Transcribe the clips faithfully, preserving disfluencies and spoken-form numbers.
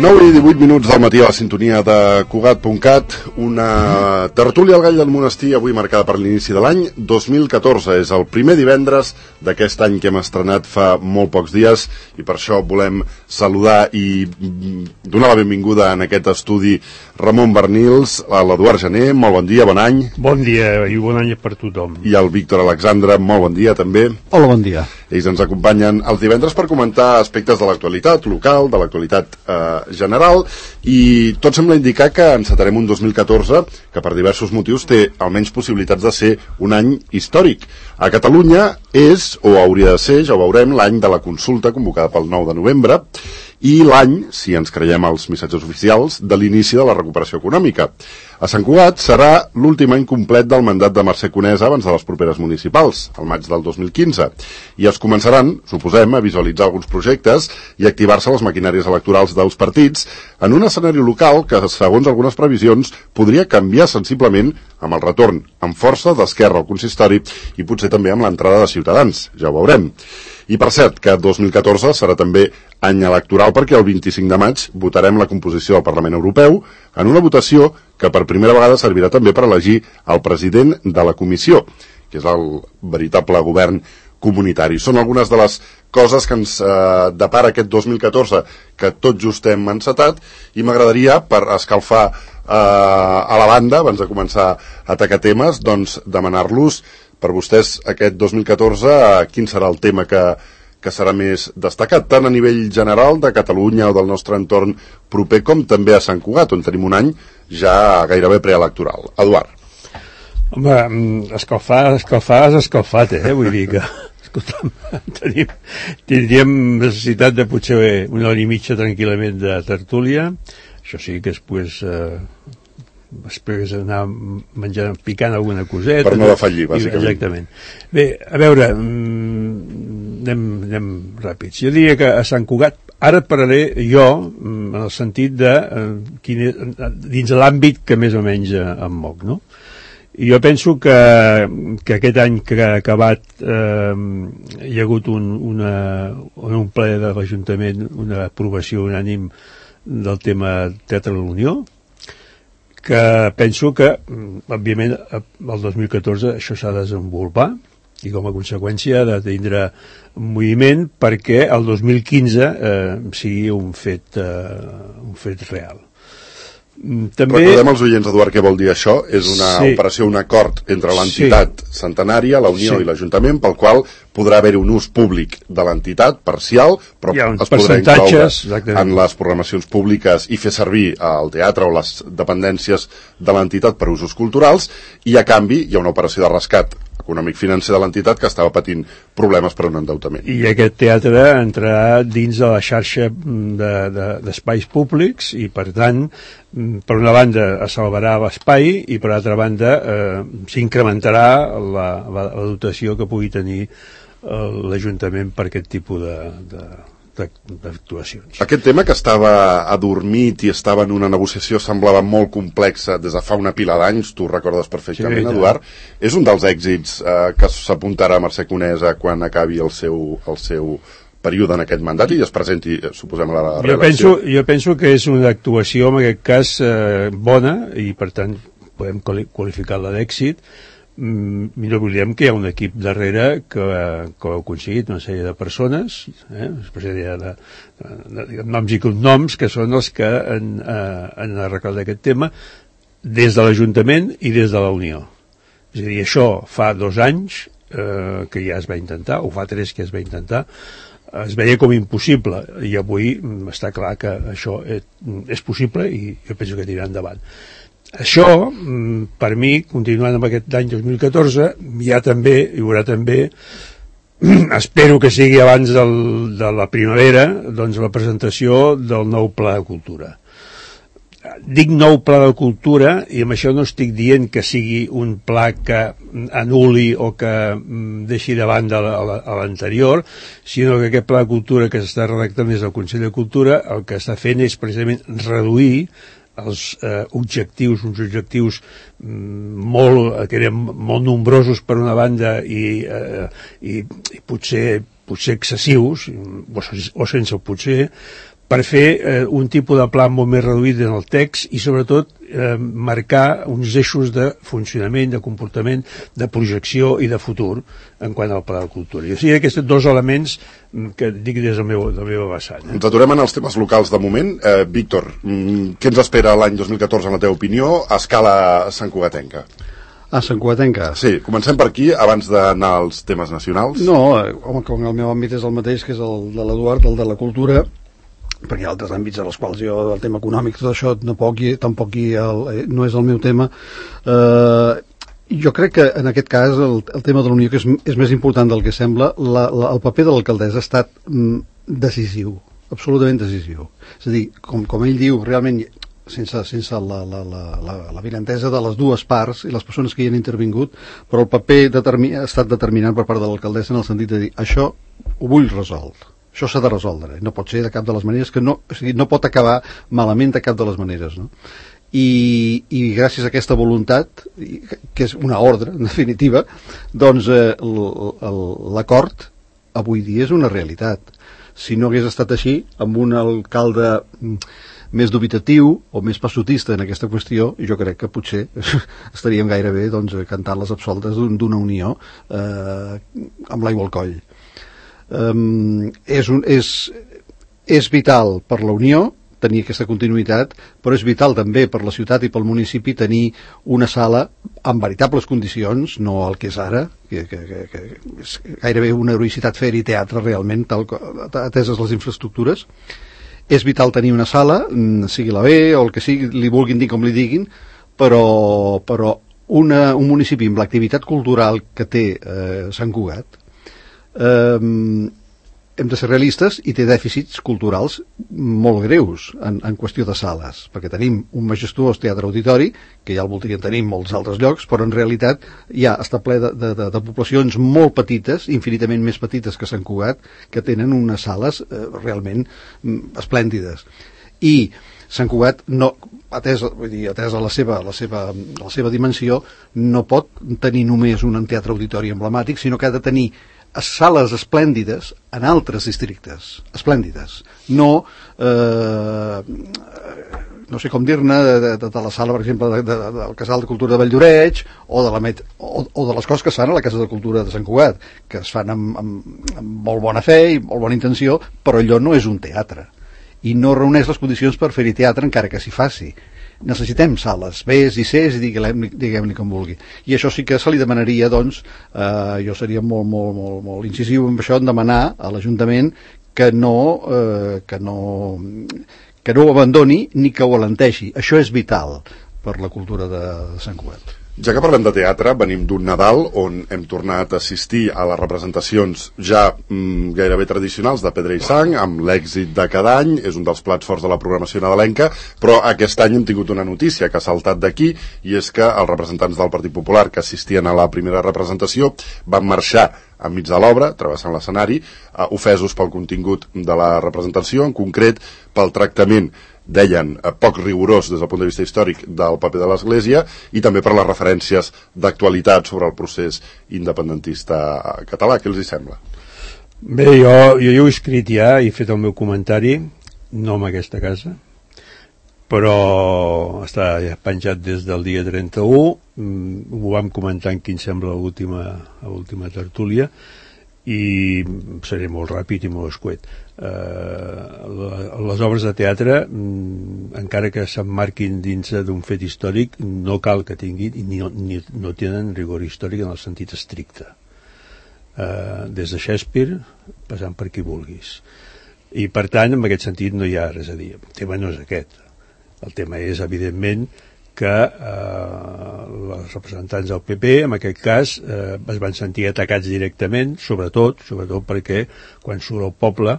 nou i divuit minuts del matí a la sintonia de Cugat punt cat, una tertúlia al Gall del Monestir, avui marcada per l'inici de l'any dos mil catorze. És el primer divendres d'aquest any que hem estrenat fa molt pocs dies i per això volem saludar i donar la benvinguda en aquest estudi Ramon Bernils, a l'Eduard Gené. Molt bon dia, bon any. Bon dia i bon any per tothom. I el Víctor Alexandre, molt bon dia també. Hola, bon dia. Ells ens acompanyen els divendres per comentar aspectes de l'actualitat local, de l'actualitat eh, general, i tot sembla indicar que encetarem un dos mil catorze que per diversos motius té almenys possibilitats de ser un any històric. A Catalunya és, o hauria de ser, ja ho veurem, l'any de la consulta convocada pel nou de novembre i l'any, si ens creiem els missatges oficials, de l'inici de la recuperació econòmica. A Sant Cugat serà l'últim any complet del mandat de Mercè Conesa abans de les properes municipals, al maig del dos mil quinze, i es començaran, suposem, a visualitzar alguns projectes i activar-se les maquinàries electorals dels partits en un escenari local que, segons algunes previsions, podria canviar sensiblement amb el retorn amb força d'Esquerra al consistori i potser també amb l'entrada de Ciutadans, ja ho veurem. I per cert, que dos mil catorze serà també any electoral perquè el vint-i-cinc de maig votarem la composició del Parlament Europeu en una votació que per primera vegada servirà també per elegir el president de la comissió, que és el veritable govern comunitari. Són algunes de les coses que ens eh, depara aquest dos mil catorze que tot just hem encetat, i m'agradaria, per escalfar eh, a la banda, abans de començar a atacar temes, doncs demanar-los per vostès aquest dos mil catorze eh, quin serà el tema que, que serà més destacat, tant a nivell general de Catalunya o del nostre entorn proper, com també a Sant Cugat, on tenim un any ja gairebé preelectoral. Eduard. Home, escalfar, escalfar és escalfat, eh? Vull dir que, escolta'm, tenim, tindríem necessitat de potser una hora i mitja tranquil·lament de tertúlia. Això sí que després... Eh, després anar menjant, picant alguna coseta. Per no defallir, bàsicament. Exactament. Bé, a veure, anem, anem ràpids. Jo diria que a Sant Cugat, ara parlaré jo, en el sentit de quin és, dins l'àmbit que més o menys em moc, no? I jo penso que, que aquest any que ha acabat eh, hi ha hagut un, una, un ple de l'Ajuntament, una aprovació unànim del tema Teatre de la Unió, que penso que, òbviament, el dos mil catorze això s'ha de desenvolupar i com a conseqüència ha de tindre un moviment perquè el dos mil quinze eh, sigui un fet, eh, un fet real. També... Recordem als oients, Eduard, què vol dir això. És una sí. operació, un acord entre l'entitat sí. centenària, la Unió sí. i l'Ajuntament, pel qual podrà haver-hi un ús públic de l'entitat parcial, però es podrà incloure exactament. en les programacions públiques i fer servir el teatre o les dependències de l'entitat per usos culturals, i a canvi hi ha una operació de rescat econòmic-financer de l'entitat que estava patint problemes per un endeutament. I aquest teatre entrarà dins de la xarxa d'espais de, de, públics i, per tant, per una banda es salvarà l'espai i, per altra banda, eh, s'incrementarà la, la, la dotació que pugui tenir eh, l'Ajuntament per aquest tipus de... de d'actuacions. Aquest tema que estava adormit i estava en una negociació semblava molt complexa des de fa una pila d'anys, tu recordes perfectament, sí, Eduard, és un dels èxits eh, que s'apuntarà a Mercè Conesa quan acabi el seu, el seu període en aquest mandat i es presenti, suposem, a la reelecció. Jo penso, jo penso que és una actuació, en aquest cas, eh, bona, i per tant podem qualificar-la d'èxit. Millor volíem que hi ha un equip darrere que, que ho ha aconseguit, una sèrie de persones, eh, de, de, de, de noms i cognoms, que són els que han, eh, han arreglat aquest tema des de l'Ajuntament i des de la Unió. És a dir, això fa dos anys eh, que ja es va intentar, o fa tres que es va intentar, es veia com impossible, i avui està clar que això és, és possible i jo penso que tirarà endavant. Això, per mi, continuant amb aquest any dos mil catorze, hi ha també, hi haurà també, espero que sigui abans del, de la primavera, doncs la presentació del nou Pla de Cultura. Dic nou Pla de Cultura, i amb això no estic dient que sigui un pla que anul·li o que deixi de banda a l'anterior, sinó que aquest Pla de Cultura que s'està redactant des del Consell de Cultura el que està fent és precisament reduir els eh, objectius, uns objectius mm, molt, que eren molt nombrosos per una banda i, eh, i, i potser, potser excessius, o, o sense potser, per fer eh, un tipus de pla molt més reduït en el text i sobretot eh, marcar uns eixos de funcionament, de comportament, de projecció i de futur en quant al pla de cultura. I o sigui, aquests dos elements que dic des del meu, del meu vessant. Eh? Ens aturem en els temes locals de moment. Eh, Víctor, què ens espera l'any dos mil catorze en la teva opinió a escala santcugatenca? A Sant Cugatenca? Sí, comencem per aquí, abans d'anar als temes nacionals. No, home, com el meu àmbit és el mateix, que és el de l'Eduard, el de la cultura, perquè hi ha altres àmbits en els quals jo, el tema econòmic, tot això, tampoc, tampoc hi el, no és el meu tema. Eh, jo crec que, en aquest cas, el, el tema de la Unió, que és, és més important del que sembla, la, la, el paper de l'alcaldessa ha estat mm, decisiu, absolutament decisiu. És a dir, com, com ell diu, realment... sense, sense la, la, la, la, la virentesa de les dues parts i les persones que hi han intervingut, però el paper determi ha estat determinant per part de l'alcaldessa en el sentit de dir, això ho vull resoldre, això s'ha de resoldre, no pot ser de cap de les maneres, que no, o sigui, no pot acabar malament de cap de les maneres, no? I, i gràcies a aquesta voluntat, que és una ordre, en definitiva, doncs eh, l'acord avui dia és una realitat. Si no hagués estat així, amb un alcalde més dubitatiu o més passotista en aquesta qüestió, jo crec que potser estaríem gairebé doncs, cantant les absoltes d'una un, unió eh, amb l'aigua al coll. Um, és, un, és, és vital per la Unió tenir aquesta continuïtat, però és vital també per la ciutat i pel municipi tenir una sala amb veritables condicions, no el que és ara, que, que, que, que és gairebé una heroïcitat fer-hi teatre realment, tal, ateses les infraestructures. És vital tenir una sala, sigui la B o el que sigui, li vulguin dir com li diguin, però, però una, un municipi amb l'activitat cultural que té eh, Sant Cugat, eh, hem de ser realistes i té dèficits culturals molt greus en, en qüestió de sales, perquè tenim un majestuós teatre auditori, que ja el voldrien tenir en molts altres llocs, però en realitat ja està ple de, de, de, de poblacions molt petites, infinitament més petites que Sant Cugat, que tenen unes sales eh, realment mm, esplèndides. I Sant Cugat, no, atès, vull dir, atès a la seva, la, seva, la seva dimensió, no pot tenir només un teatre auditori emblemàtic, sinó que ha de tenir sales esplèndides en altres districtes, esplèndides, no eh, no sé com dir-ne de, de, de la sala, per exemple, de, de, del Casal de Cultura de Valldoreix o de, la met, o, o de les coses que es fan a la Casa de Cultura de Sant Cugat, que es fan amb, amb, amb molt bona fe i molt bona intenció, però allò no és un teatre i no reuneix les condicions per fer-hi teatre encara que s'hi faci. Necessitem sales, Bs i Cs, i diguem-li diguem com vulgui. I això sí que se li demanaria, doncs, eh, jo seria molt, molt, molt, molt incisiu en això, en demanar a l'Ajuntament que no, eh, que no, que no ho abandoni ni que ho alenteixi. Això és vital per la cultura de Sant Cugat. Ja que parlem de teatre, venim d'un Nadal on hem tornat a assistir a les representacions ja mm, gairebé tradicionals de Pedra i Sang, amb l'èxit de cada any, és un dels plats forts de la programació nadalenca, però aquest any hem tingut una notícia que ha saltat d'aquí, i és que els representants del Partit Popular que assistien a la primera representació van marxar enmig de l'obra, travessant l'escenari, eh, ofesos pel contingut de la representació, en concret pel tractament, deien, eh, poc rigorós des del punt de vista històric del paper de l'Església, i també per les referències d'actualitat sobre el procés independentista català. Què els hi sembla? Bé, jo, jo ho he escrit ja i he fet el meu comentari, no en aquesta casa, però està ja penjat des del dia trenta-u, ho vam comentar en quin sembla l'última tertúlia, i seré molt ràpid i molt escuet. Uh, les obres de teatre, mm, encara que s'emmarquin dins d'un fet històric, no cal que tinguin ni, ni, no tenen rigor històric en el sentit estricte, uh, des de Shakespeare passant per qui vulguis, i per tant en aquest sentit no hi ha res a dir. El tema no és aquest, el tema és evidentment que eh, els representants del P P, en aquest cas, eh, es van sentir atacats directament, sobretot, sobretot perquè quan surt el poble,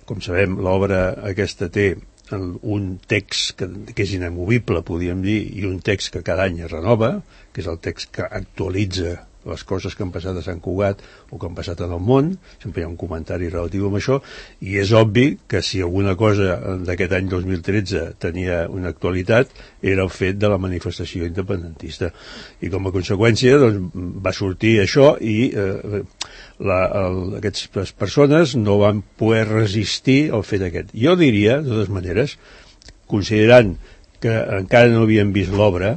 com sabem, l'obra aquesta té un text que, que és inamovible, podríem dir, i un text que cada any es renova, que és el text que actualitza les coses que han passat a Sant Cugat o que han passat en el món, sempre hi ha un comentari relatiu amb això, i és obvi que si alguna cosa d'aquest any dos mil tretze tenia una actualitat era el fet de la manifestació independentista, i com a conseqüència doncs, va sortir això, i eh, la, el, aquestes persones no van poder resistir el fet aquest. Jo diria, de totes maneres, considerant que encara no havien vist l'obra,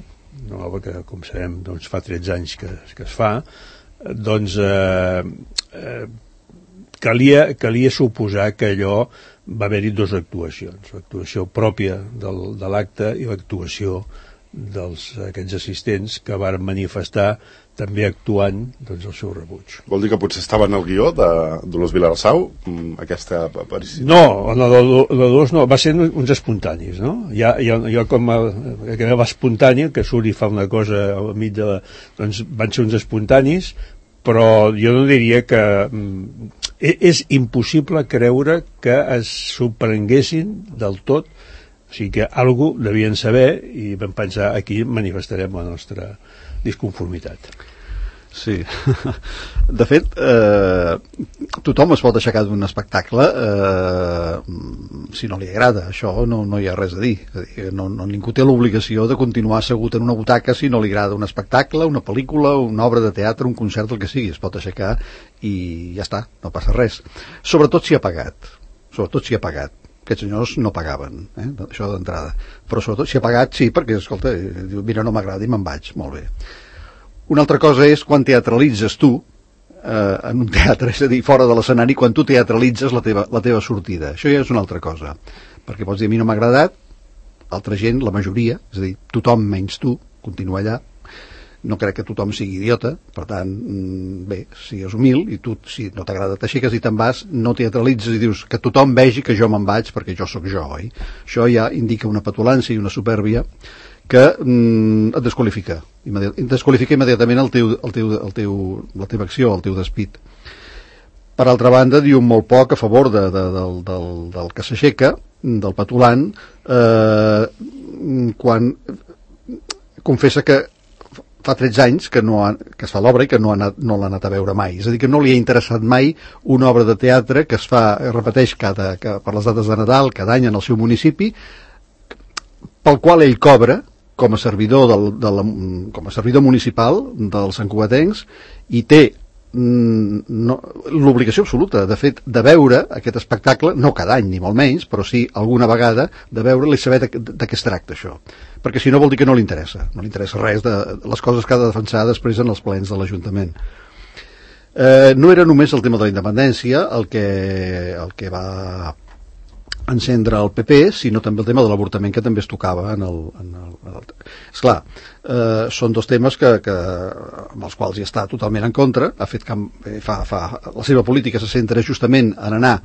una obra que, com sabem, doncs, fa tretze anys que, que es fa, doncs eh, eh, calia, calia suposar que allò va haver-hi dues actuacions, l'actuació pròpia del, de l'acte i l'actuació dels aquests assistents que van manifestar també actuant doncs, el seu rebuig. Vol dir que potser estava en el guió de Dolors Vilarasau, aquesta aparició? No, la de Dolors no, va ser uns espontanis, no? Ja, ja, ja com a, que va espontani, que surt i fa una cosa al mig de la... Doncs van ser uns espontanis, però jo no diria que... És impossible creure que es sorprenguessin del tot, o sigui que algú devien saber i vam pensar aquí manifestarem la nostra disconformitat. Sí. De fet, eh, tothom es pot aixecar d'un espectacle eh, si no li agrada. Això no, no hi ha res a dir. És a dir no, no, ningú té l'obligació de continuar assegut en una butaca si no li agrada un espectacle, una pel·lícula, una obra de teatre, un concert, el que sigui. Es pot aixecar i ja està, no passa res. Sobretot si ha pagat. Sobretot si ha pagat. Aquests senyors no pagaven, eh? Això d'entrada. Però sobretot si ha pagat, sí, perquè, escolta, diu, mira, no m'agrada i me'n vaig. Molt bé. Una altra cosa és quan teatralitzes tu eh, en un teatre, és a dir, fora de l'escenari, quan tu teatralitzes la teva, la teva sortida. Això ja és una altra cosa. Perquè pots dir, a mi no m'ha agradat, altra gent, la majoria, és a dir, tothom menys tu, continua allà. No crec que tothom sigui idiota, per tant, bé, sigues humil, i tu, si no t'agrada, t'aixeques i te'n vas, no teatralitzes i dius que tothom vegi que jo me'n vaig perquè jo sóc jo, oi? Això ja indica una petulància i una supèrbia que mm, et desqualifica, immediat, et desqualifica immediatament el teu, el teu, el teu, la teva acció, el teu despit. Per altra banda, diu molt poc a favor de, de, del, del, del que s'aixeca, del petulant, eh, quan confessa que fa tretze anys que, no ha, que es fa l'obra i que no, ha anat, no l'ha anat a veure mai. És a dir, que no li ha interessat mai una obra de teatre que es fa, es repeteix cada, que, per les dates de Nadal, cada any en el seu municipi, pel qual ell cobra com a servidor, del, de la, com a servidor municipal dels santcugatencs i té no, l'obligació absoluta, de fet, de veure aquest espectacle, no cada any ni molt menys, però sí alguna vegada, de veure-li, saber de, de, de què es tracta això, perquè si no vol dir que no li interessa, no li interessa res de les coses que ha de defensar després en els plens de l'Ajuntament. Eh, no era només el tema de la independència el que, el que va encendre el P P, sinó també el tema de l'avortament, que també es tocava en el... En el, en el... Esclar, eh, són dos temes que, que, amb els quals hi està totalment en contra, ha fet que fa, fa, la seva política se centra justament en anar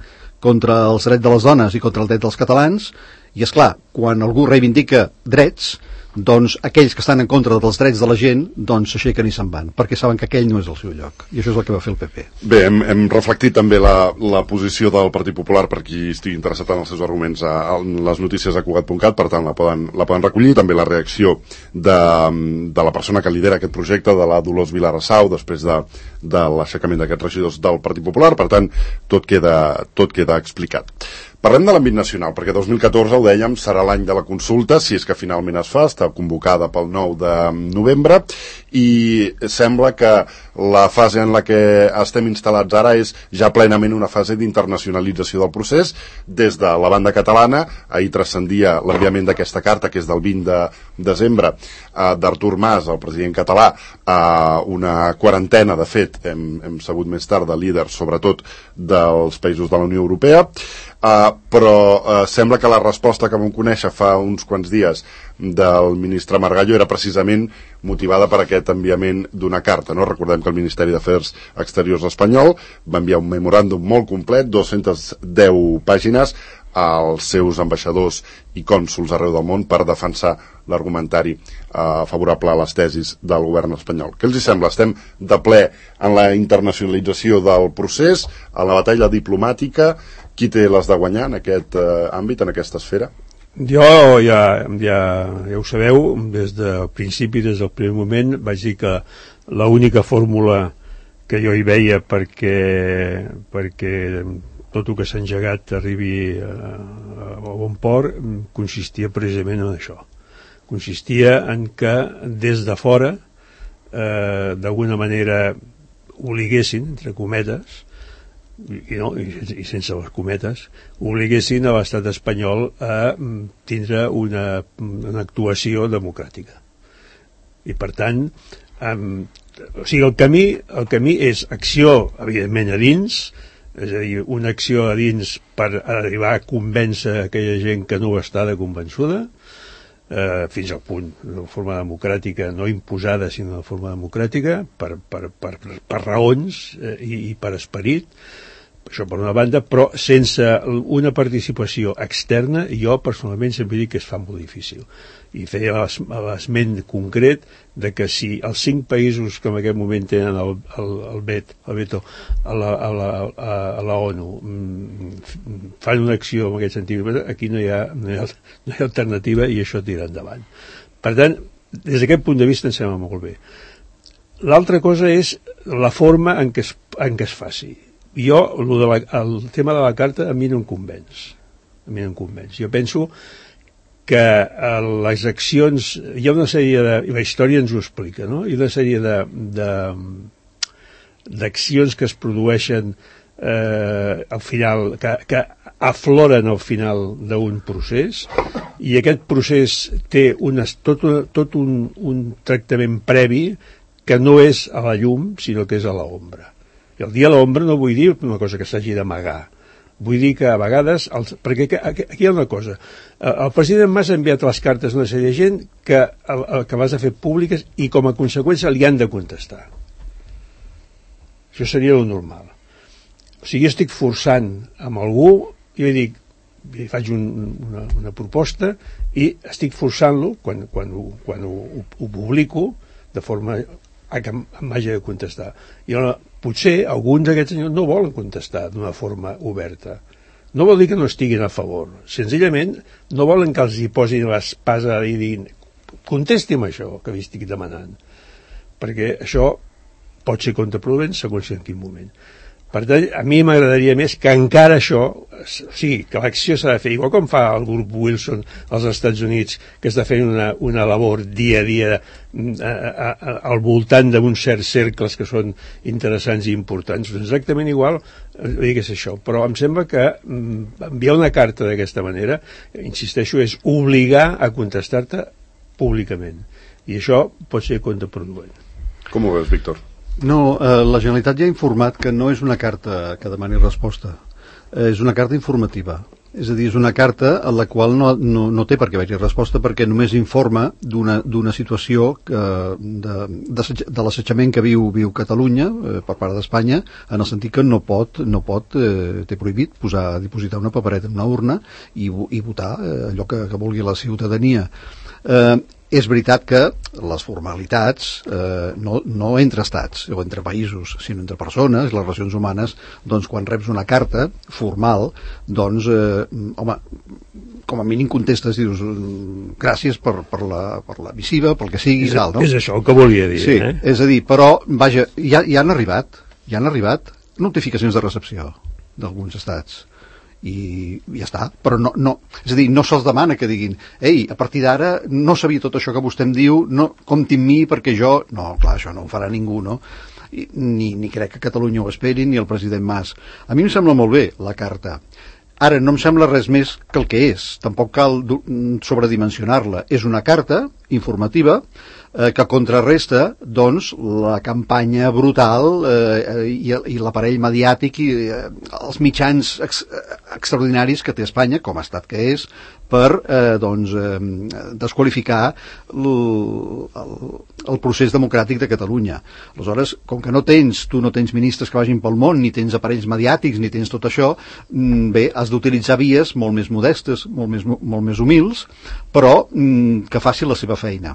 contra els drets de les dones i contra el dret dels catalans, i esclar, quan algú reivindica drets, doncs aquells que estan en contra dels drets de la gent doncs s'aixequen i se'n van, perquè saben que aquell no és el seu lloc, i això és el que va fer el P P. Bé, hem, hem reflectit també la, la posició del Partit Popular, per qui estigui interessat en els seus arguments a, a les notícies a Cugat punt cat, per tant la poden, la poden recollir, també la reacció de, de la persona que lidera aquest projecte, de la Dolors Vilarasau, després de, de l'aixecament d'aquests regidors del Partit Popular, per tant tot queda, tot queda explicat. Parlem de l'àmbit nacional, perquè dos mil catorze, ho dèiem, serà l'any de la consulta, si és que finalment es fa, està convocada pel nou de novembre, i sembla que la fase en la que estem instal·lats ara és ja plenament una fase d'internacionalització del procés. Des de la banda catalana, ahir transcendia l'enviament d'aquesta carta, que és del vint de desembre, eh, d'Artur Mas, el president català, a una quarantena, de fet, hem, hem sabut més tard, de líders, sobretot dels països de la Unió Europea, Uh, però uh, sembla que la resposta que vam conèixer fa uns quants dies del ministre Margallo era precisament motivada per aquest enviament d'una carta, no? Recordem que el Ministeri d'Afers Exteriors espanyol va enviar un memoràndum molt complet, dues-centes deu pàgines, als seus ambaixadors i cònsols arreu del món per defensar l'argumentari eh, favorable a les tesis del govern espanyol. Què els hi sembla? Estem de ple en la internacionalització del procés, en la batalla diplomàtica. Qui té les de guanyar en aquest eh, àmbit, en aquesta esfera? Jo ja, ja, ja ho sabeu, des del principi, des del primer moment, vaig dir que l'única fórmula que jo hi veia perquè, perquè tot el que s'ha engegat arribi a, a bon port consistia precisament en això. Consistia en que des de fora, eh, d'alguna manera obliguessin, entre cometes, i, no, i, i sense les cometes, obliguessin a l'estat espanyol a tindre una, una actuació democràtica. I per tant, um, o sigui, el camí, el camí és acció, evidentment, a dins, és a dir, una acció a dins per arribar a convèncer aquella gent que no està de convençuda, eh, fins al punt, de forma democràtica, no imposada, sinó de forma democràtica, per, per, per, per raons eh, i, i per esperit, això per una banda, però sense una participació externa, jo personalment sempre dic que es fa molt difícil. I feia l'esment concret de que si els cinc països que en aquest moment tenen el, el, el, vet, el veto a la, a, la, a la ONU fan una acció en aquest sentit, aquí no hi ha, no hi ha, no hi ha alternativa i això tira endavant. Per tant, des d'aquest punt de vista em sembla molt bé. L'altra cosa és la forma en què es, en què es faci. Jo, lo de la, el tema de la carta a mi no em convenç. A mi no em convenç. Jo penso que les accions, hi ha una sèrie de, i la història ens ho explica, no? Hi ha una sèrie de, de, d'accions que es produeixen eh, al final, que, que afloren al final d'un procés, i aquest procés té unes, tot, tot un, un tractament previ que no és a la llum, sinó que és a l'ombra. I el dia a l'ombra no vull dir una cosa que s'hagi d'amagar. Vull dir que a vegades, els, perquè aquí hi ha una cosa, el president Mas ha enviat les cartes a una sèrie de gent que, que les ha fet públiques i com a conseqüència li han de contestar. Això seria lo normal. O sigui, jo estic forçant amb algú, jo dic, li faig un, una, una proposta i estic forçant-lo, quan, quan, ho, quan ho, ho, ho publico, de forma a que em hagi de contestar. I llavors, potser alguns d'aquests senyors no volen contestar d'una forma oberta. No vol dir que no estiguin a favor. Senzillament no volen que els hi posin l'espasa i diguin contesti'm això que li estic demanant. Perquè això pot ser contraproduent segons en quin moment. Per tant, a mi m'agradaria més que encara això, o sigui, que l'acció s'ha de fer, igual com fa el grup Wilson als Estats Units, que està fent una, una labor dia a dia a, a, a, al voltant d'uns certs cercles que són interessants i importants. Exactament igual, digues això. Però em sembla que enviar una carta d'aquesta manera, insisteixo, és obligar a contestar-te públicament. I això pot ser contraproduent. Com ho veus, Víctor? No, eh, la Generalitat ja ha informat que no és una carta que demani resposta, eh, és una carta informativa. És a dir, és una carta a la qual no, no, no té per què haver-hi resposta, perquè només informa d'una d'una situació que, de, de, de l'assetjament que viu viu Catalunya eh, per part d'Espanya, en el sentit que no pot, no pot eh, té prohibit posar, dipositar una papereta en una urna i, i votar eh, allò que, que vulgui la ciutadania. Eh, és veritat que les formalitats eh, no, no entre estats o entre països, sinó entre persones, les relacions humanes, doncs quan reps una carta formal, doncs eh, home, com a mínim contestes i dius gràcies per, per, la, per la missiva, pel que sigui, és, tal, no? És això el que volia dir. Sí, eh? És a dir, però vaja, ja, ja han arribat ja han arribat notificacions de recepció d'alguns estats i ja està, però no, no, és a dir, no se'ls demana que diguin ei, a partir d'ara no sabia tot això que vostè em diu, no, compti amb mi perquè jo, no, clar, això no ho farà ningú, no? I, ni, ni crec que Catalunya ho esperi, ni el president Mas. A mi em sembla molt bé la carta. Ara, no em sembla res més que el que és, tampoc cal sobredimensionar-la. És una carta informativa eh, que contrarresta, doncs, la campanya brutal eh, i, i l'aparell mediàtic i eh, els mitjans ex, extraordinaris que té Espanya, com a estat que és, per eh, doncs, eh, desqualificar el, el, el procés democràtic de Catalunya. Aleshores, com que no tens, tu no tens ministres que vagin pel món, ni tens aparells mediàtics, ni tens tot això, bé, has d'utilitzar vies molt més modestes, molt més, molt més humils, però que faci la seva feina.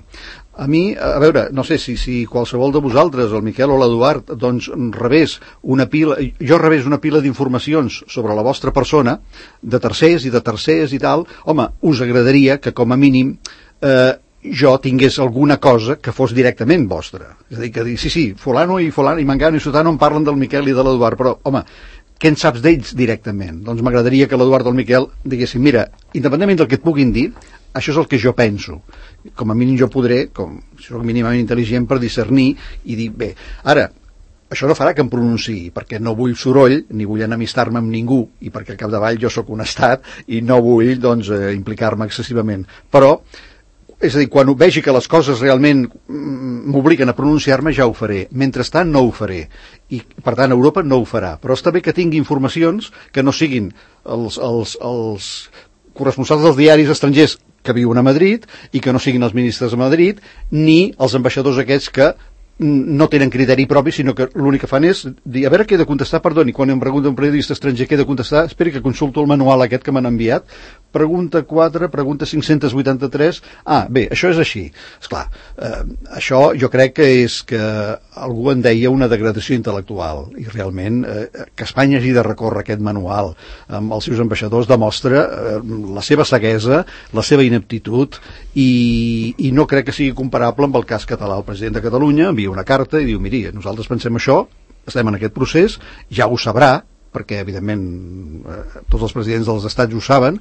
A mi, a veure, no sé si, si qualsevol de vosaltres, el Miquel o l'Eduard, doncs rebés una pila, jo rebés una pila d'informacions sobre la vostra persona, de tercers i de tercers i tal, home, us agradaria que com a mínim eh, jo tingués alguna cosa que fos directament vostra. És a dir, que dir, sí, sí, fulano i fulano i mangano i sotano em parlen del Miquel i de l'Eduard, però, home, què en saps d'ells directament? Doncs m'agradaria que l'Eduard o el Miquel diguessin, mira, independentment del que et puguin dir, això és el que jo penso. Com a mínim jo podré, com si soc mínimament intel·ligent, per discernir i dir, bé, ara, això no farà que em pronunciï, perquè no vull soroll, ni vull enemistar-me amb ningú, i perquè al capdavall jo sóc un estat i no vull, doncs, eh, implicar-me excessivament. Però, és a dir, quan vegi que les coses realment m'obliguen a pronunciar-me, ja ho faré. Mentrestant, no ho faré. I, per tant, Europa no ho farà. Però està bé que tingui informacions que no siguin els, els, els corresponsals dels diaris estrangers que viuen a Madrid i que no siguin els ministres a Madrid, ni els ambaixadors aquests que no tenen criteri propi, sinó que l'únic que fan és dir, a veure què he de contestar, perdoni, quan em pregunta un periodista estranger què he de contestar, esperi que consulto el manual aquest que m'han enviat, pregunta quatre, pregunta cinc-cents vuitanta-tres, ah, bé, això és així. Esclar, eh, això jo crec que és que algú en deia una degradació intel·lectual, i realment eh, que Espanya hagi de recórrer aquest manual amb els seus ambaixadors demostra eh, la seva ceguesa, la seva ineptitud, i, i no crec que sigui comparable amb el cas català. El president de Catalunya envia una carta i diu, miri, nosaltres pensem això, estem en aquest procés, ja ho sabrà, perquè evidentment eh, tots els presidents dels estats ho saben,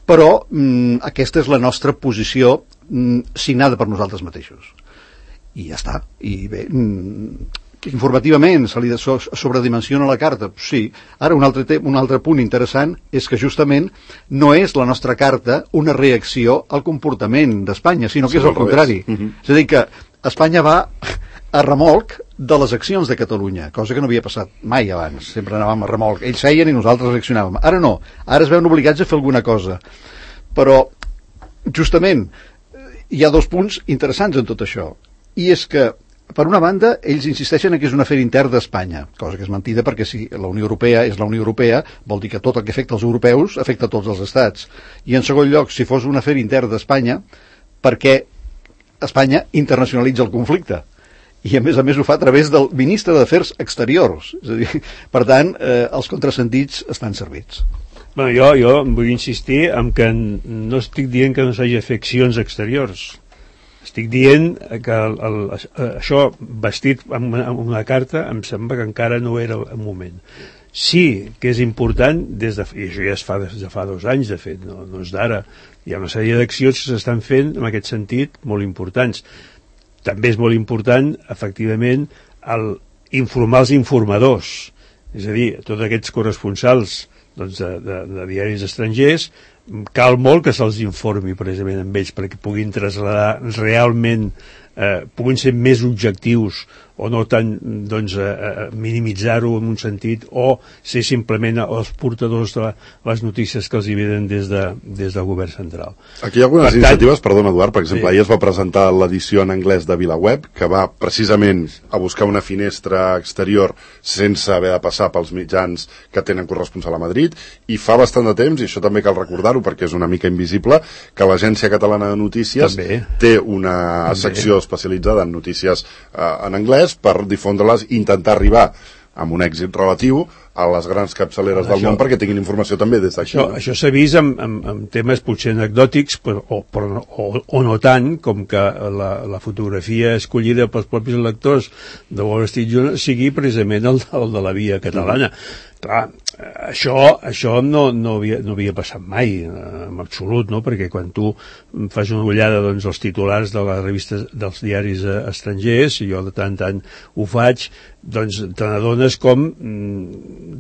però mm, aquesta és la nostra posició mm, signada per nosaltres mateixos. I ja està. I bé, mm, informativament se li so sobredimensiona la carta, sí. Ara un altre, un altre punt interessant és que justament no és la nostra carta una reacció al comportament d'Espanya, sinó que sí, és el contrari. Uh -huh. És a dir, que Espanya va a remolc de les accions de Catalunya, cosa que no havia passat mai abans. Sempre anàvem a remolc. Ells feien i nosaltres reaccionàvem. Ara no. Ara es veuen obligats a fer alguna cosa. Però, justament, hi ha dos punts interessants en tot això. I és que, per una banda, ells insisteixen que és un afer intern d'Espanya, cosa que és mentida, perquè si la Unió Europea és la Unió Europea, vol dir que tot el que afecta els europeus afecta a tots els estats. I, en segon lloc, si fos un afer intern d'Espanya, perquè Espanya internacionalitza el conflicte. I a més a més ho fa a través del ministre d'Afers Exteriors. És a dir, per tant, eh, els contrasentits estan servits. Bueno, jo, jo vull insistir en que no estic dient que no s'hagi fet accions exteriors. Estic dient que el, el, això vestit amb una, amb una carta em sembla que encara no era el moment. Sí que és important, des de, i això ja es fa des de fa dos anys, de fet, no, no és d'ara, hi ha una sèrie d'accions que s'estan fent en aquest sentit molt importants. També és molt important, efectivament, el informar els informadors, és a dir, tots aquests corresponsals doncs, de, de, de diaris estrangers, cal molt que se'ls informi precisament amb ells perquè puguin traslladar realment, eh, puguin ser més objectius o no tant doncs, eh, minimitzar-ho en un sentit o ser simplement els portadors de les notícies que els hi venen des, de, des del govern central. Aquí hi ha algunes per iniciatives, tant, perdona Eduard, per exemple, sí. Ahir es va presentar l'edició en anglès de VilaWeb, que va precisament a buscar una finestra exterior sense haver de passar pels mitjans que tenen corresponsal a Madrid, i fa bastant de temps, i això també cal recordar-ho perquè és una mica invisible, que l'Agència Catalana de Notícies també té una també. secció especialitzada en notícies eh, en anglès per difondre-les i intentar arribar amb un èxit relatiu a les grans capçaleres del això, món perquè tinguin informació també des d'aquí. Això, no? això s'ha vist amb, amb, amb temes potser anecdòtics però, o, però, o, o no tant com que la, la fotografia escollida pels propis lectors de Wall Street Journal sigui precisament el, el de la via catalana. Mm. Clar, això, això no, no, havia, no havia passat mai en absolut, no? Perquè quan tu fas una ullada doncs, als titulars de les revistes dels diaris estrangers, i jo de tant en tant ho faig, doncs te n'adones com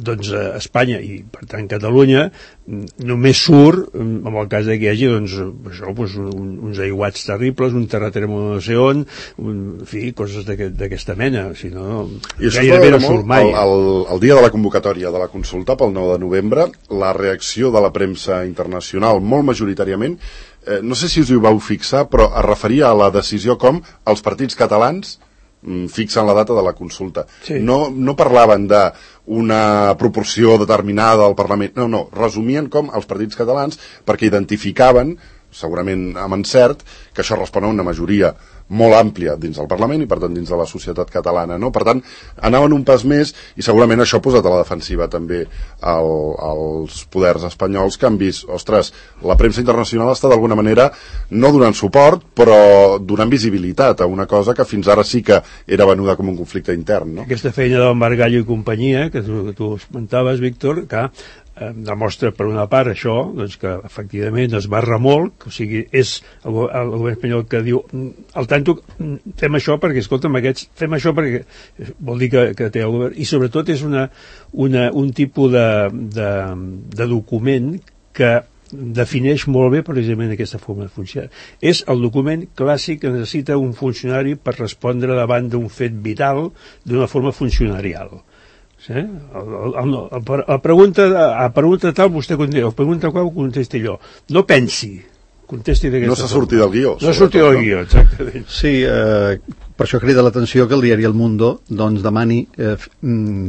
doncs, Espanya i per tant Catalunya només surt en el cas que hi hagi doncs, això, doncs, un, uns aiguats terribles, un terratrèmol no sé on, un, en fi, coses d'aquesta mena, si no, gairebé no surt mai. El, el, el dia de la convocatòria de la consulta pel nou de novembre, la reacció de la premsa internacional, molt majoritàriament, eh, no sé si us hi vau fixar, però es referia a la decisió com els partits catalans fixen la data de la consulta. Sí. No, no parlaven d'una proporció determinada al Parlament, no, no, resumien com els partits catalans perquè identificaven, segurament amb encert, que això respon a una majoria molt àmplia dins del Parlament i per tant dins de la societat catalana, no? Per tant, anaven un pas més i segurament això ha posat a la defensiva també el, els poders espanyols que han vist, ostres, la premsa internacional està d'alguna manera no donant suport, però donant visibilitat a una cosa que fins ara sí que era venuda com un conflicte intern, no? Aquesta feina del Margallo i companyia, que tu, que tu esmentaves, Víctor, que eh, demostra per una part això, doncs que efectivament es va remolc, o sigui, és el, el govern espanyol que diu al tanto, fem això perquè, escolta'm, aquests, fem això perquè vol dir que, que té el govern, i sobretot és una, una, un tipus de, de, de document que defineix molt bé precisament aquesta forma de funcionar. És el document clàssic que necessita un funcionari per respondre davant d'un fet vital d'una forma funcionarial. Sí? El, el, el, el, el pregunta, a pregunta tal vostè contesta, a pregunta qual contesti jo. No pensi, contesti d'aquesta forma. No s'ha sortit del guió. No s'ha sortit del guió, exactament. Sí, eh, per això crida l'atenció que el diari El Mundo doncs, demani eh,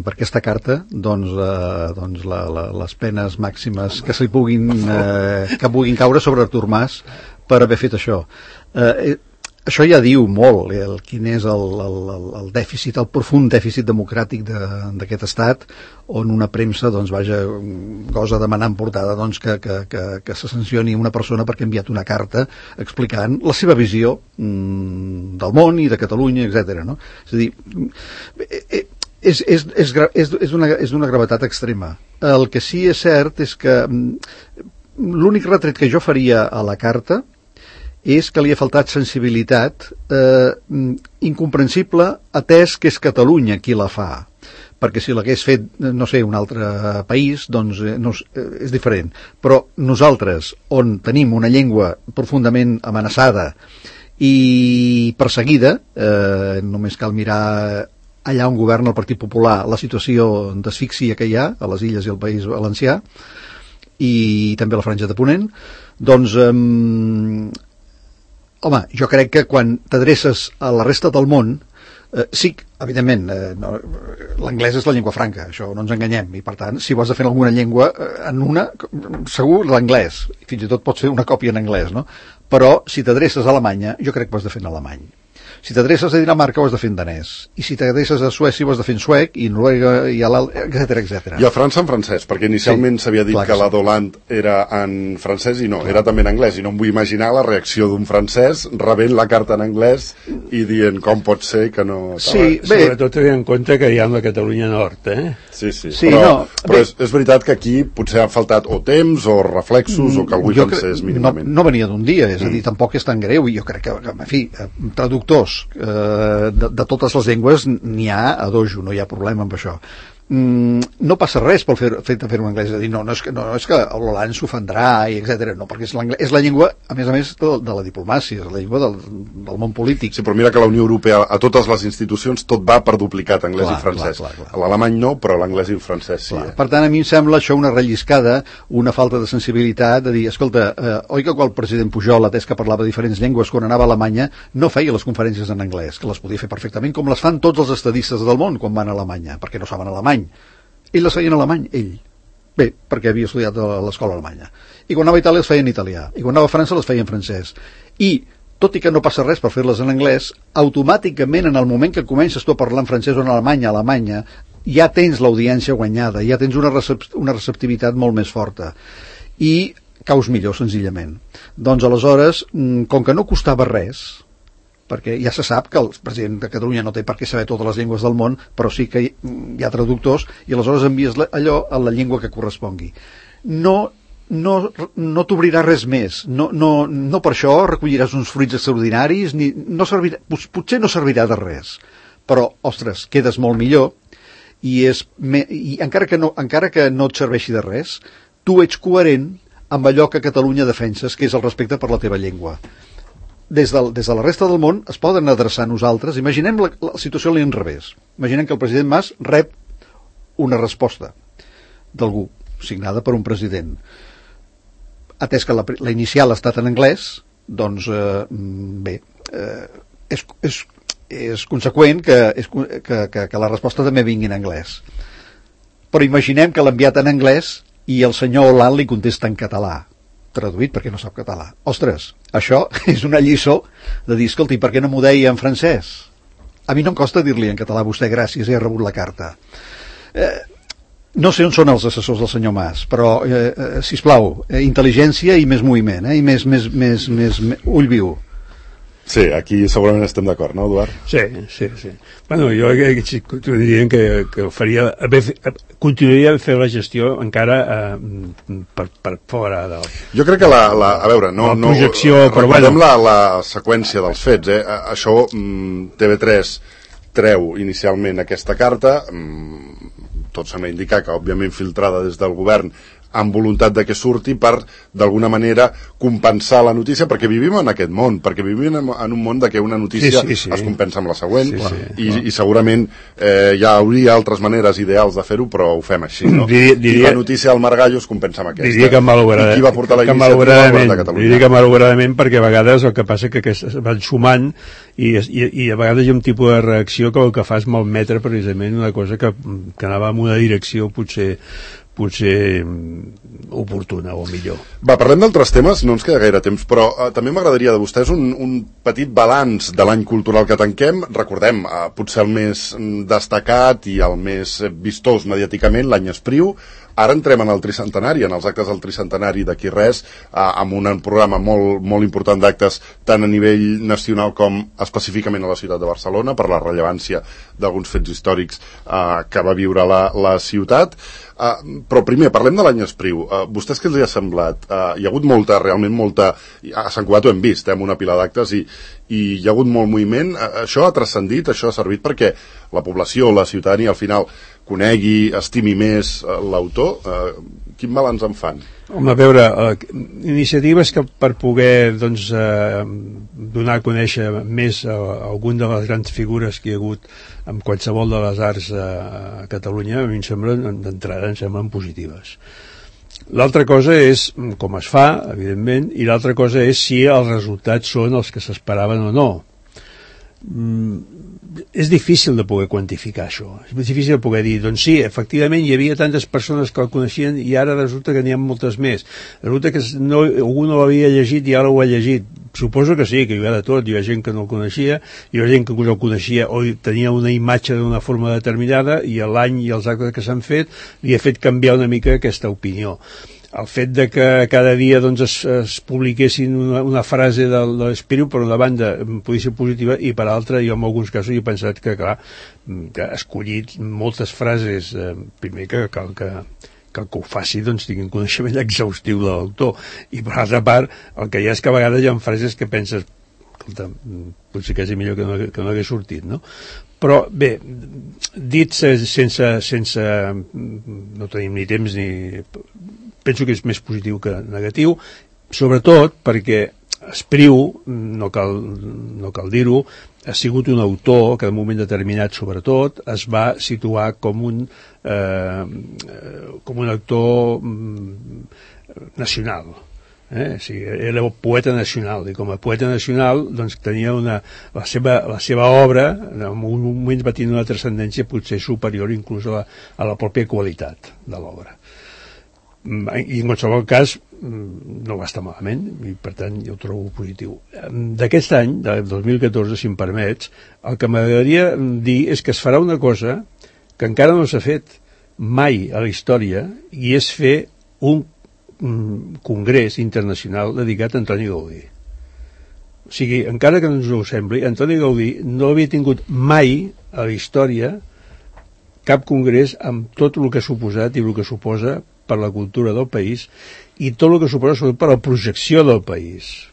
per aquesta carta doncs, eh, doncs la, la, les penes màximes que s'hi puguin, eh, que puguin caure sobre Artur Mas per haver fet això. Eh, Això ja diu molt el, quin és el, el, el dèficit, el profund dèficit democràtic d'aquest estat, on una premsa doncs, vaja, gosa demanant portada doncs, que, que, que, que se sancioni una persona perquè ha enviat una carta explicant la seva visió mm, del món i de Catalunya, etcètera. No? És a dir, és, és, és, és, és, una, és una gravetat extrema. El que sí és cert és que l'únic retret que jo faria a la carta és que li ha faltat sensibilitat, eh, incomprensible, atès que és Catalunya qui la fa. Perquè si l'hagués fet, no sé, un altre país, doncs eh, no, és diferent. Però nosaltres, on tenim una llengua profundament amenaçada i perseguida, eh, només cal mirar allà on governa el Partit Popular la situació d'asfíxia que hi ha a les Illes i al País Valencià, i també a la Franja de Ponent, doncs... Eh, Home, jo crec que quan t'adreces a la resta del món, eh, sí, evidentment, eh, no, l'anglès és la llengua franca, això no ens enganyem, i per tant, si ho has de fer en alguna llengua, eh, en una, segur l'anglès, fins i tot pots fer una còpia en anglès, no? Però si t'adreces a Alemanya, jo crec que ho has de fer en alemany. Si t'adreces a Dinamarca ho has de fer en danès, i si t'adreces a Suècia ho has de fer en suec, i Noruega, i a l'alt, etcètera, etcètera. I a França en francès, perquè inicialment s'havia sí, dit que, que la Doland era en francès i no, clar. Era també en anglès, i no em vull imaginar la reacció d'un francès rebent la carta en anglès i dient com pot ser que no... Sí, bé. Sobretot tenint en compte que hi ha la Catalunya Nord, eh? Sí, sí, sí però, no, però és, és veritat que aquí potser ha faltat o temps o reflexos mm, o que algú hi pensés mínimament. No, no venia d'un dia, és mm. a dir, tampoc és tan greu, i jo crec que, en fi, traductors eh, de, de totes les llengües n'hi ha a dojo, no hi ha problema amb això. Mm, no passa res pel fet fer, de fer-ho en anglès, és a dir, no, no és que, no, és que l'Holand s'ofendrà, i etcètera. No, perquè és, és la llengua, a més a més, de, de la diplomàcia, és la llengua del, del món polític. Sí, però mira que la Unió Europea, a totes les institucions, tot va per duplicat anglès clar, i francès. Clar, clar, clar. L'alemany no, però l'anglès i el francès sí. Eh? Per tant, a mi em sembla això una relliscada, una falta de sensibilitat, de dir, escolta, eh, oi que quan el president Pujol, atès que parlava diferents llengües quan anava a Alemanya, no feia les conferències en anglès, que les podia fer perfectament, com les fan tots els estadistes del món quan van a Alemanya, perquè no saben alemany. Ell les feia en alemany, ell. Bé, perquè havia estudiat a l'escola alemanya. I quan anava a Itàlia les feia en italià. I quan anava a França les feia en francès. I, tot i que no passa res per fer-les en anglès, automàticament en el moment que comences tu a parlar en francès o en alemany a Alemanya, ja tens l'audiència guanyada, ja tens una, recep una receptivitat molt més forta. I caus millor, senzillament. Doncs aleshores, com que no costava res, perquè ja se sap que el president de Catalunya no té per què saber totes les llengües del món, però sí que hi ha traductors, i aleshores envies allò a la llengua que correspongui. No, no, no t'obrirà res més, no, no, no per això recolliràs uns fruits extraordinaris, ni, no servirà, potser no servirà de res, però, ostres, quedes molt millor, i, és, i encara, que no, encara que no et serveixi de res, tu ets coherent amb allò que Catalunya defenses, que és el respecte per la teva llengua. Des de, des de la resta del món es poden adreçar a nosaltres. Imaginem la, la situació a l'inrevés. Imaginem que el president Mas rep una resposta d'algú, signada per un president. Atès que la, la inicial ha estat en anglès, doncs, eh, bé, eh, és, és, és conseqüent que, és, que, que, que la resposta també vingui en anglès. Però imaginem que l'ha enviat en anglès i el senyor Hollande li contesta en català, traduït perquè no sap català. Ostres, això és una lliçó de dir, escolti, per què no m'ho deia en francès? A mi no em costa dir-li en català, vostè gràcies, he rebut la carta. Eh, no sé on són els assessors del senyor Mas, però, eh, eh, sisplau, eh, intel·ligència i més moviment, eh, i més, més, més, més, més ull viu. Sí, aquí segurament estem d'acord, no, Eduard? Sí, sí, sí. Bueno, jo diria que, que faria, continuaria a fer la gestió encara eh, per, per fora del... Jo crec que la, la a veure, no, la projecció, no, però recordem bueno. la, la seqüència dels fets, eh? Això, T V tres treu inicialment aquesta carta, tot sembla indicar que, òbviament, filtrada des del govern, amb voluntat de que surti per, d'alguna manera, compensar la notícia, perquè vivim en aquest món, perquè vivim en un món de que una notícia sí, sí, sí. es compensa amb la següent, sí, sí, i, i segurament eh, hi hauria altres maneres ideals de fer-ho, però ho fem així, no? Diria, diria, I la notícia del Margallo es compensa amb aquesta. Diria que malauradament, I qui va portar la iniciativa al govern de Catalunya? Diria que malauradament, perquè a vegades el que passa que, que es van sumant i, i, i a vegades hi ha un tipus de reacció que el que fa és malmetre precisament una cosa que, que anava en una direcció potser potser oportuna o millor. Va, parlem d'altres temes, no ens queda gaire temps, però eh, també m'agradaria de vostès un, un petit balanç de l'any cultural que tanquem. Recordem, eh, potser el més destacat i el més vistós mediàticament, l'any Espriu. Ara entrem en el tricentenari, en els actes del tricentenari d'aquí res, eh, amb un programa molt, molt important d'actes tant a nivell nacional com específicament a la ciutat de Barcelona, per la rellevància d'alguns fets històrics eh, que va viure la, la ciutat. Uh, però primer, parlem de l'any Espriu. Uh, vostès què els hi ha semblat? Uh, hi ha hagut molta, realment molta... A Sant Cugat ho hem vist, eh, amb una pila d'actes, i, i hi ha hagut molt moviment. Uh, això ha transcendit, això ha servit perquè la població, la ciutadania, al final, conegui, estimi més uh, l'autor. Uh, quin balanç en fan? Home, a veure, uh, iniciatives que per poder doncs, uh, donar a conèixer més uh, algun de les grans figures que hi ha hagut en qualsevol de les arts uh, a Catalunya, a mi em semblen, d'entrada, em semblen positives. L'altra cosa és com es fa, evidentment, i l'altra cosa és si els resultats són els que s'esperaven o no. Mm, és difícil de poder quantificar això, és difícil de poder dir, doncs sí, efectivament hi havia tantes persones que el coneixien i ara resulta que n'hi ha moltes més, resulta que no, algú no l'havia llegit i ara ho ha llegit. Suposo que sí, que hi havia de tot, hi havia gent que no el coneixia, hi havia gent que no el coneixia o tenia una imatge d'una forma determinada i l'any i els actes que s'han fet li ha fet canviar una mica aquesta opinió. El fet de que cada dia doncs, es, es publiquessin una, una frase de, de l'Espriu, per una banda podia ser positiva i per altra jo en alguns casos he pensat que clar, que ha escollit moltes frases, eh, primer que cal que, que el que ho faci doncs, tingui un coneixement exhaustiu de l'autor, i per altra part el que hi ha és que a vegades hi ha frases que penses escolta, potser que és millor que no, que no hagués sortit, no? Però bé, dit sense, sense no tenim ni temps ni... penso que és més positiu que negatiu, sobretot perquè Espriu, no cal, no cal dir-ho, ha sigut un autor que en un moment determinat, sobretot, es va situar com un, eh, com un autor nacional. Eh? O sigui, era el poeta nacional, i com a poeta nacional doncs, tenia una, la, seva, la seva obra en un moment va tenir una transcendència potser superior inclús a la, a la pròpia qualitat de l'obra. I en qualsevol cas no va estar malament i per tant jo ho trobo positiu. D'aquest any, del dos mil catorze, si em permets, el que m'agradaria dir és que es farà una cosa que encara no s'ha fet mai a la història i és fer un congrés internacional dedicat a Antoni Gaudí. O sigui, encara que no ens ho sembli, Antoni Gaudí no havia tingut mai a la història cap congrés amb tot el que ha suposat i el que suposa per la cultura del país i tot el que suposa sobretot per la projecció del país,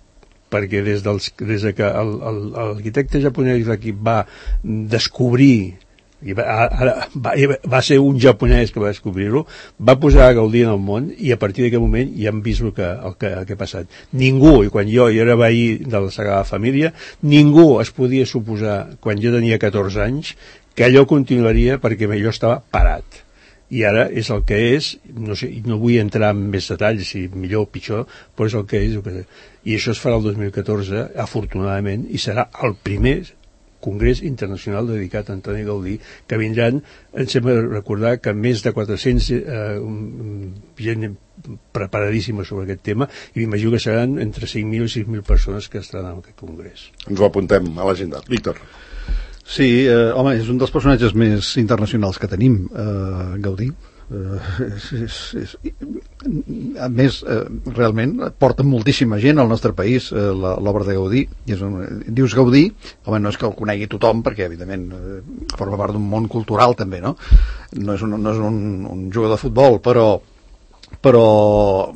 perquè des, dels, des de que l'arquitecte japonès d'aquí va descobrir i va, ara, va, va ser un japonès que va descobrir-ho, va posar a Gaudí en el món i a partir d'aquest moment ja hem vist el que, el que, el que ha passat. Ningú, i quan jo, jo era veí de la Sagrada Família, ningú es podia suposar, quan jo tenia catorze anys, que allò continuaria perquè allò estava parat. I ara és el que és, no sé, no vull entrar en més detalls, si millor o pitjor, però és el que és. El que... I això es farà el dos mil catorze, afortunadament, i serà el primer congrés internacional dedicat a Antoni Gaudí, que vindran, em sembla recordar que més de quatre-cents eh, gent preparadíssima sobre aquest tema, i m'imagino que seran entre cinc mil i sis mil persones que estaran en aquest congrés. Ens ho apuntem a l'agenda. Víctor. Sí, eh, home, és un dels personatges més internacionals que tenim, eh, Gaudí. Uh, és, és, és, a més, uh, realment porta moltíssima gent al nostre país uh, l'obra de Gaudí. I és un, dius Gaudí, home, no és que el conegui tothom, perquè evidentment uh, forma part d'un món cultural també, no? No és un, no és un, un jugador de futbol, però però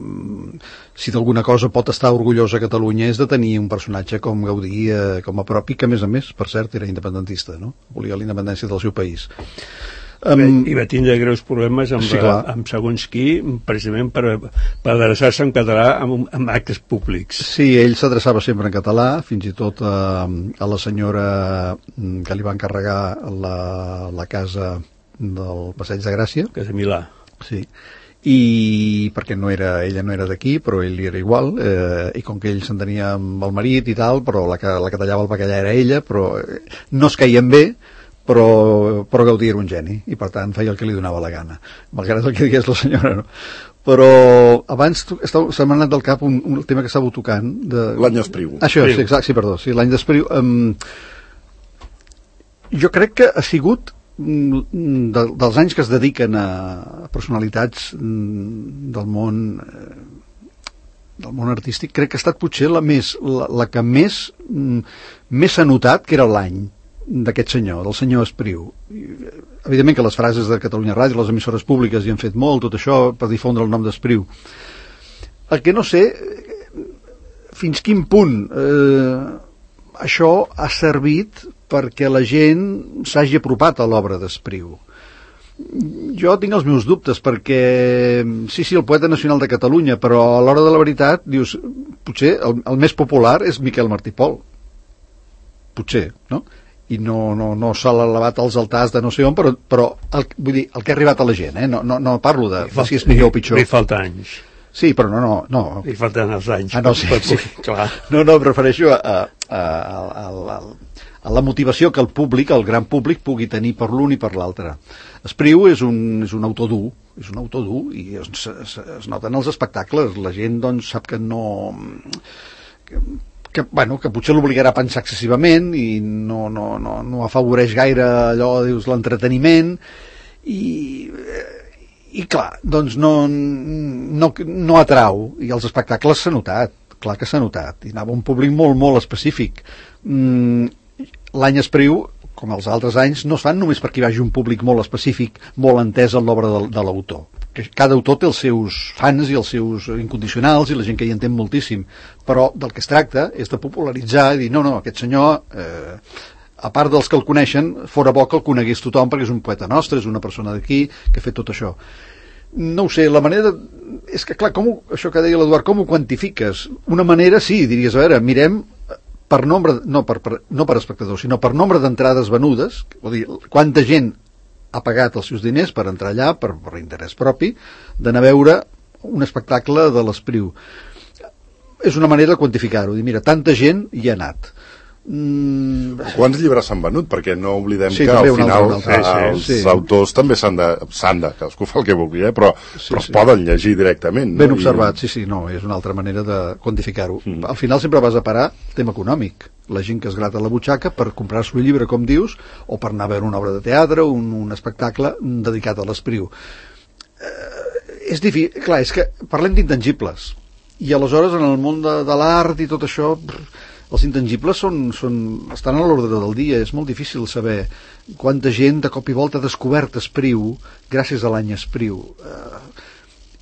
si d'alguna cosa pot estar orgullosa Catalunya és de tenir un personatge com Gaudí eh, com a propi, que a més a més, per cert, era independentista, no? Volia la independència del seu país. Um, I va tindre greus problemes amb, sí, amb segons qui, precisament per, per adreçar-se en català amb, amb actes públics. Sí, ell s'adreçava sempre en català, fins i tot a, a la senyora que li va encarregar la, la casa del Passeig de Gràcia. Casa Milà. Sí, i perquè no era, ella no era d'aquí, però ell era igual, eh, i com que ell s'entenia amb el marit i tal, però la que, la que tallava el bacallà era ella, però no es caien bé, però, però Gaudí era un geni, i per tant feia el que li donava la gana, malgrat el que digués la senyora, no? Però abans se m'ha anat del cap un, un tema que estàveu tocant de... L'any Espriu. Això, sí, exacte, sí, perdó, sí, l'any d'Espriu. Um, jo crec que ha sigut de, dels anys que es dediquen a personalitats del món del món artístic, crec que ha estat potser la més la, la que més més s'ha notat que era l'any d'aquest senyor, del senyor Espriu. Evidentment que les frases de Catalunya Ràdio, les emissores públiques hi han fet molt, tot això per difondre el nom d'Espriu. El que no sé fins quin punt eh, això ha servit perquè la gent s'hagi apropat a l'obra d'Espriu. Jo tinc els meus dubtes, perquè sí, sí, el poeta nacional de Catalunya, però a l'hora de la veritat, dius, potser el, el més popular és Miquel Martí Pol. Potser, no? I no, no, no s'ha elevat als altars de no sé on, però, però el, vull dir, el que ha arribat a la gent, eh? no, no, no parlo de, de si és millor o pitjor. Li falta anys. Sí, però no, no, no. Li falten els anys. Ah, no, sí, sí. Clar. No, no, em refereixo a, a, a, a, a, a la motivació que el públic, el gran públic, pugui tenir per l'un i per l'altre. Espriu és un, és un autor dur, és un autor dur, i es, es, es noten els espectacles. La gent, doncs, sap que no... Que, que, bueno, que potser l'obligarà a pensar excessivament i no, no, no, no afavoreix gaire allò, dius, l'entreteniment, i... i clar, doncs no, no, no atrau, i els espectacles s'ha notat, clar que s'ha notat, i anava un públic molt, molt específic. Mm, l'any Espriu, com els altres anys, no es fan només perquè hi vagi un públic molt específic, molt entès en l'obra de, de l'autor. Cada autor té els seus fans i els seus incondicionals i la gent que hi entén moltíssim, però del que es tracta és de popularitzar i dir, no, no, aquest senyor... Eh, a part dels que el coneixen, fora bo que el conegués tothom perquè és un poeta nostre, és una persona d'aquí que ha fet tot això. No ho sé, la manera... De... És que, clar, com ho... això que deia l'Eduard, com ho quantifiques? Una manera, sí, diries, a veure, mirem per nombre, no per, per, no per espectadors, sinó per nombre d'entrades venudes, vol dir, quanta gent ha pagat els seus diners per entrar allà, per, per interès propi, d'anar a veure un espectacle de l'Espriu. És una manera de quantificar-ho, dir, mira, tanta gent hi ha anat. Mm. Quants llibres s'han venut? Perquè no oblidem sí, que al final altre, altre. Eh, els sí. autors també s'han de, s'han de, cadascú fa el que vulgui, eh? però, sí, però sí. es poden llegir directament. Ben no? observat, I... sí, sí, no, és una altra manera de quantificar-ho. Mm. Al final sempre vas a parar tema econòmic. La gent que es grata la butxaca per comprar-se un llibre, com dius, o per anar a veure una obra de teatre, un, un espectacle dedicat a l'Espriu. Eh, és difícil, clar, és que parlem d'intangibles. I aleshores en el món de, de l'art i tot això... Brr, els intangibles són, són, estan a l'ordre del dia, és molt difícil saber quanta gent de cop i volta ha descobert Espriu gràcies a l'any Espriu. Uh,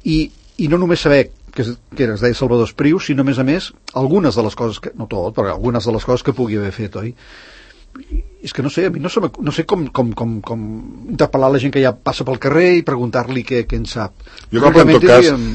i, I no només saber que, que es deia Salvador Espriu, sinó a més a més algunes de les coses, que, no tot, però algunes de les coses que pugui haver fet, oi? I, és que no sé, a mi no, se no sé com, com, com, com interpel·lar la gent que ja passa pel carrer i preguntar-li què, què en sap. Jo crec que en tot cas diríem...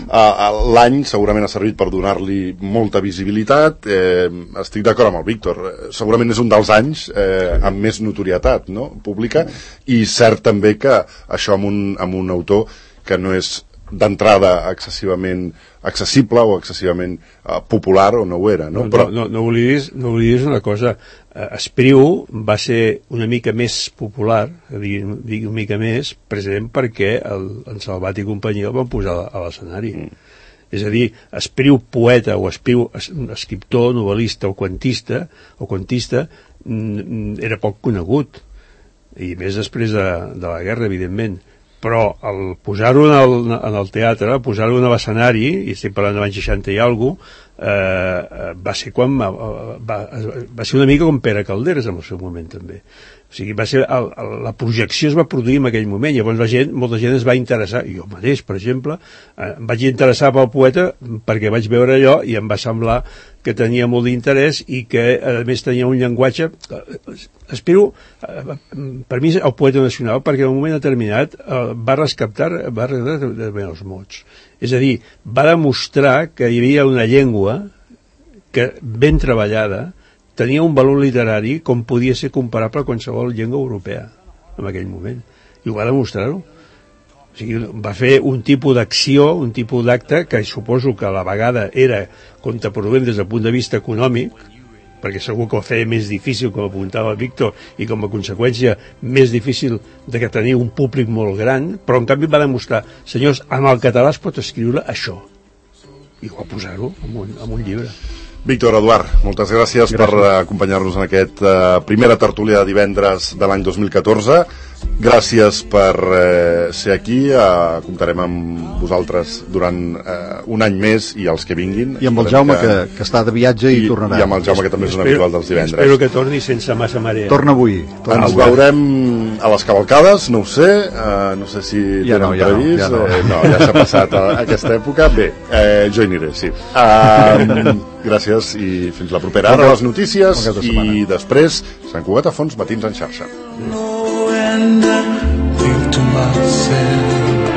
l'any segurament ha servit per donar-li molta visibilitat. eh, estic d'acord amb el Víctor, segurament és un dels anys eh, amb més notorietat, no? Pública, i cert també que això amb un, amb un autor que no és d'entrada excessivament accessible o excessivament uh, popular, o no ho era, no? No, Però... no, no, oblidis, no oblidis una cosa, uh, Espriu va ser una mica més popular, dir, dir una mica més, precisament perquè el, en Salvat i companyia el van posar a l'escenari. Mm. És a dir, Espriu poeta o Espriu escriptor, novel·lista o quantista, o quantista era poc conegut, i més després de, de la guerra, evidentment. però el posar-ho en, el, en el teatre, posar-ho en l'escenari, i estic parlant de l'any seixanta i alguna cosa, eh, va ser quan va, va, va ser una mica com Pere Calderes en el seu moment també. O sigui, va ser el, el, la projecció es va produir en aquell moment, llavors la gent, molta gent es va interessar, jo mateix, per exemple, eh, em vaig interessar pel poeta perquè vaig veure allò i em va semblar que tenia molt d'interès i que a més tenia un llenguatge, espero, eh, per mi el poeta nacional, perquè en un moment determinat eh, va rescatar, va rescatar els mots. És a dir, va demostrar que hi havia una llengua que ben treballada tenia un valor literari com podia ser comparable a qualsevol llengua europea en aquell moment, i ho va demostrar-ho. O sigui, va fer un tipus d'acció, un tipus d'acte que suposo que a la vegada era contraproduent des del punt de vista econòmic, perquè segur que ho feia més difícil, com apuntava el Víctor, i com a conseqüència més difícil de que tenir un públic molt gran, però en canvi va demostrar, senyors, amb el català es pot escriure això, i va posar-ho en un, en un llibre. Víctor, Eduard, moltes gràcies, gràcies. per acompanyar-nos en aquest uh, primera tertúlia de divendres de l'any dos mil catorze. Gràcies per eh, ser aquí. Uh, comptarem amb vosaltres durant uh, un any més i els que vinguin. I amb el Jaume, que, que, que està de viatge i, i tornarà. I amb el Jaume, que també és un habitual dels divendres. Espero que torni sense massa marea. Torna avui. Torna Ens avui. veurem a les cavalcades, no ho sé, uh, no sé si ja tenen no, ja previst. No, ja no. Eh, no, ja s'ha passat a, a aquesta època. Bé, eh, jo hi aniré, sí. Uh, gràcies i fins la propera. Ara les notícies i després Sant Cugat a Fons, Matins en xarxa. To myself